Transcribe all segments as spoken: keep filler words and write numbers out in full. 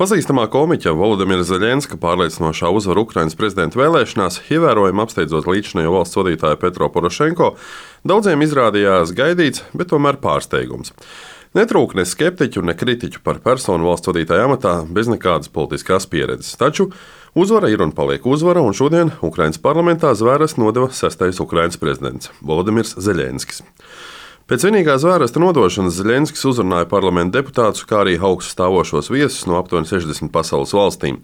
Pazīstamā komiķa Volodimira Zeļenska pārliecinošā uzvara Ukrainas prezidenta vēlēšanās, ievērojami apsteidzot līdzinējo valsts vadītāju Petro Porošenko, daudziem izrādījās gaidīts, bet tomēr pārsteigums. Netrūka ne skeptiķu, ne kritiķu par personu valsts vadītāja amatā bez nekādas politiskās pieredzes. Taču uzvara ir un paliek uzvara, un šodien Ukrainas parlamentā zvēres nodeva sestais Ukrainas prezidents Volodimirs Zeļenskis. Pēc vienīgā zvērsta nodošanas Zeļenskis uzrunāja parlamenta deputātus, kā arī augstu stāvošos viesus no aptuveni sešdesmit pasaules valstīm,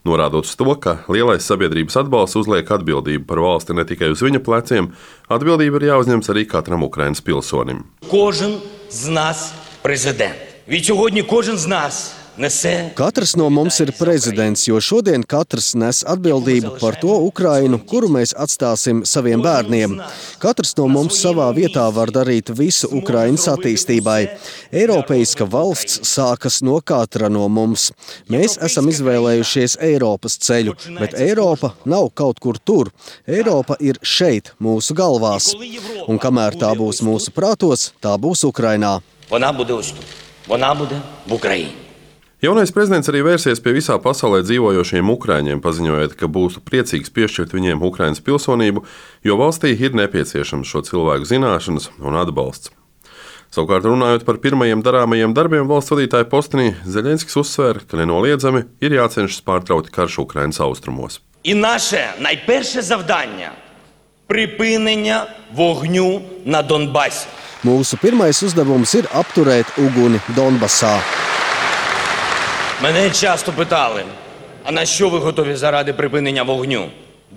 norādot uz to, ka lielais sabiedrības atbalsts uzliek atbildību par valsti ne tikai uz viņa pleciem, atbildība ir jāuzņems arī katram Ukrainas pilsonim. Кожен з нас президент. Від сьогодні кожен з нас nese. Katrs no mums ir prezidents, jo šodien katrs nes atbildību par to Ukrainu, kuru mēs atstāsim saviem bērniem. Katrs no mums savā vietā var darīt visu Ukrainas attīstībai. Eiropeiska valsts sākas no katra no mums. Mēs esam izvēlējušies Eiropas ceļu, bet Eiropa nav kaut kur tur. Eiropa ir šeit, mūsu galvās. Un kamēr tā būs mūsu prātos, tā būs Ukrainā. Вона буде ось тут. Вона буде в Україні. Jaunais prezidents arī vērsies pie visā pasaulē dzīvojošiem ukraiņiem, paziņojot, ka būs priecīgs piešķirt viņiem Ukrainas pilsonību, jo valstī ir nepieciešams šo cilvēku zināšanas un atbalsts. Savukārt, runājot par pirmajiem darāmajiem darbiem valsts vadītāja postenī, Zeļenskis uzsvēra, ka nenoliedzami ir jācenšas pārtraukt karš Ukrainas austrumos. І наше найперше завдання – припинення вогню на Донбасі. Mūsu pirmais uzdevums ir apturēt uguni Donbasā. Мене часто питали, а на що ви готові заради припинення вогню?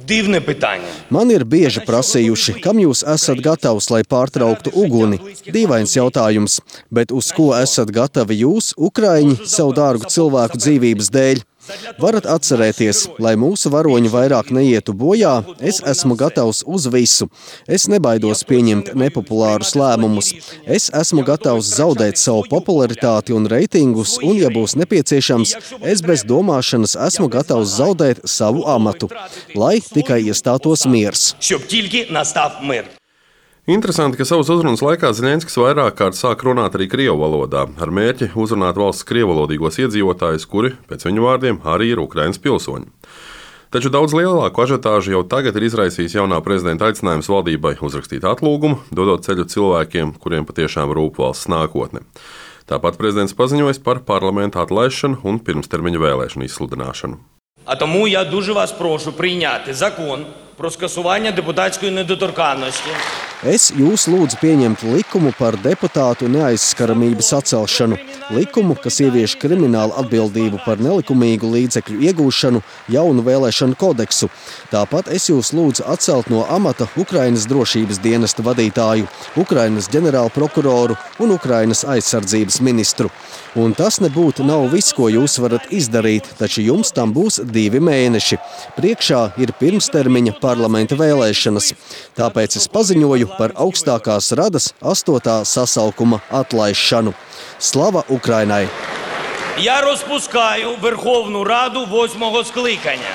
Дивне питання. Man ir bieži prasījuši, kam jūs esat gatavs, lai pārtrauktu uguni. Dīvains jautājums, bet uz ko esat gatavi jūs, Ukraiņi, savu dārgu cilvēku dzīvības dēļ? Varat atcerēties, lai mūsu varoņi vairāk neietu bojā, es esmu gatavs uz visu. Es nebaidos pieņemt nepopulārus lēmumus. Es esmu gatavs zaudēt savu popularitāti un reitingus, un, ja būs nepieciešams, es bez domāšanas esmu gatavs zaudēt savu amatu, lai tikai iestātos miers. Щоб тільки настав мир. Interesanti, ka savas uzrunas laikā Zeļenskis vairāk kārt sāk runāt arī krievu valodā, ar mērķi uzrunāt valsts krievalodīgos iedzīvotājus, kuri, pēc viņu vārdiem, arī ir Ukrainas pilsoņi. Taču daudz lielāku ažiotāžu jau tagad ir izraisījis jaunā prezidenta aicinājums valdībai uzrakstīt atlūgumu, dodot ceļu cilvēkiem, kuriem patiešām rūp valsts nākotne. Tāpat prezidents paziņojas par parlamenta atlaišanu un pirmstermiņa vēlēšanu izsludināšanu. А тому я дуже вас прошу прийняти закон про скасування депутатської недоторканності. Es jūs lūdzu pieņemt likumu par deputātu neaizskaramības atcelšanu, likumu, kas ievieš kriminālu atbildību par nelikumīgu līdzekļu iegūšanu, jaunu vēlēšanu kodeksu. Tāpat es jūs lūdzu atcelt no amata Ukrainas drošības dienesta vadītāju, Ukrainas ģenerālprokuroru un Ukrainas aizsardzības ministru. Un tas nebūtu nav viss, ko jūs varat izdarīt, taču jums tam būs divi mēneši. Priekšā ir pirmstermiņa parlamenta vēlēšanas. Tāpēc es paziņoju par augstākās radas astotā sasaukuma atlaišanu. Slava Ukrainai! Я розпускаю Верховну Раду восьмого скликання.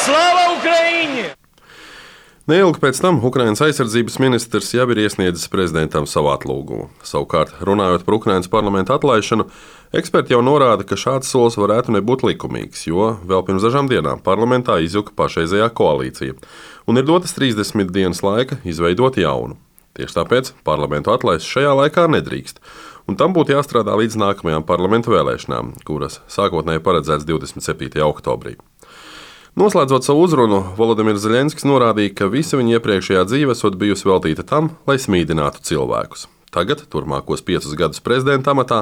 Слава Україні! Neilgi pēc tam Ukrainas aizsardzības ministrs jau ir iesniedzis prezidentam savu atlūgumu. Savukārt, runājot par Ukrainas parlamenta atlaišanu, eksperti jau norāda, ka šāds solis varētu nebūt likumīgs, jo vēl pirms dažām dienām parlamentā izjuka pašreizējā koalīcija, un ir dotas trīsdesmit dienas laika izveidot jaunu. Tieši tāpēc parlamentu atlaist šajā laikā nedrīkst, un tam būtu jāstrādā līdz nākamajām parlamentu vēlēšanām, kuras sākotnēji paredzēts divdesmit septītajā oktobrī. Noslēdzot savu uzrunu, Volodimirs Zeļenskis norādīja, ka visa viņa iepriekšējā dzīve esot bijusi veltīta tam, lai smīdinātu cilvēkus. Tagad, turmākos piecus gadus prezidenta amatā,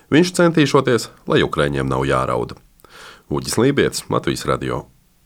viņš centīšoties, lai Ukraiņiem nav jārauda. Uģis Lībietis, Latvijas radio.